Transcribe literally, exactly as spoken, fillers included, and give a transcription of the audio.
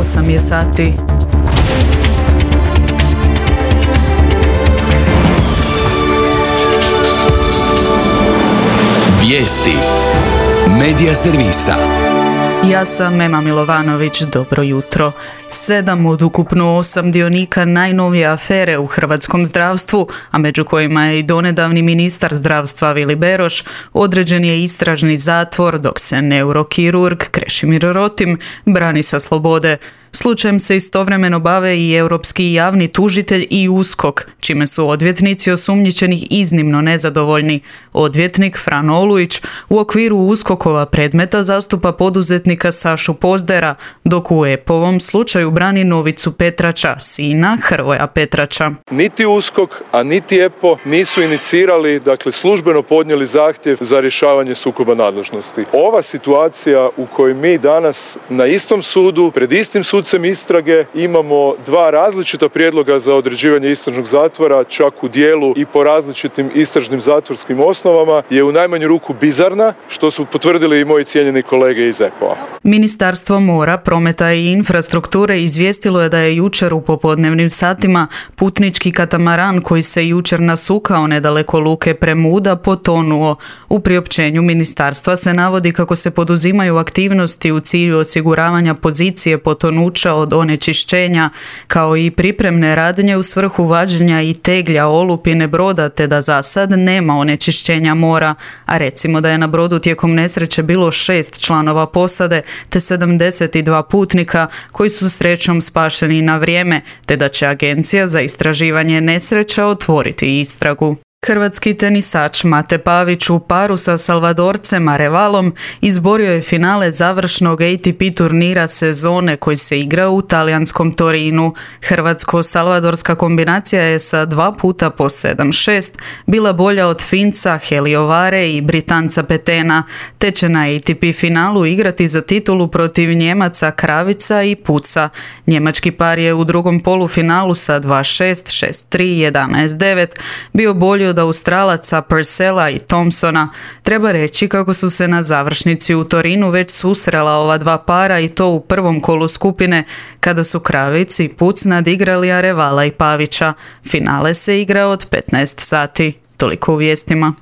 osam je sati. Vijesti Medija servisa. Ja sam Ema Milovanović, dobro jutro. Sedam od ukupno osam dionika najnovije afere u hrvatskom zdravstvu, a među kojima je i donedavni ministar zdravstva Vili Beroš, određen je istražni zatvor dok se neurokirurg Krešimir Rotim brani sa slobode. Slučajem se istovremeno bave i europski javni tužitelj i USKOK, čime su odvjetnici osumnjičenih iznimno nezadovoljni. Odvjetnik Fran Olujić u okviru USKOK-ova predmeta zastupa poduzetnika Sašu Pozdera, dok u E P O-ovom slučaju brani Novicu Petrača, sina Hrvoja Petrača. Niti USKOK, a niti E P O nisu inicirali, dakle službeno podnijeli zahtjev za rješavanje sukoba nadležnosti. Ova situacija u kojoj mi danas na istom sudu, pred istim sudcem istrage, imamo dva različita prijedloga za određivanje istražnog zatvora, čak u dijelu i po različitim istražnim zatvorskim osnovama, je u najmanju ruku bizarna, što su potvrdili i moji cijenjeni kolege iz E P O-a. Ministarstvo mora, prometa i infrastrukture izvijestilo je da je jučer u popodnevnim satima putnički katamaran koji se jučer nasukao nedaleko luke Premuda potonuo. U priopćenju ministarstva se navodi kako se poduzimaju aktivnosti u cilju osiguravanja pozicije potonuća od onečišćenja, kao i pripremne radnje u svrhu vađenja i teglja olupine broda, te da za sad nema onečišćenja mora, a recimo da je na brodu tijekom nesreće bilo šest članova posade te sedamdeset dva putnika koji su srećom spašeni na vrijeme, te da će Agencija za istraživanje nesreća otvoriti istragu. Hrvatski tenisač Mate Pavić u paru sa Salvadorcem Arevalom izborio je finale završnog A T P turnira sezone koji se igra u talijanskom Torinu. Hrvatsko-salvadorska kombinacija je sa dva puta po sedam šest bila bolja od Finca Heliovare i Britanca Petena, te će na A T P finalu igrati za titulu protiv Njemaca Kravica i Puca. Njemački par je u drugom polufinalu sa dva šest, šest tri, jedanaest devet bio bolji od Australaca Purcella i Thompsona. Treba reći kako su se na završnici u Torinu već susrela ova dva para i to u prvom kolu skupine, kada su Kravic i Puc nadigrali Arevala i Pavića. Finale se igra od petnaest sati. Toliko u vijestima.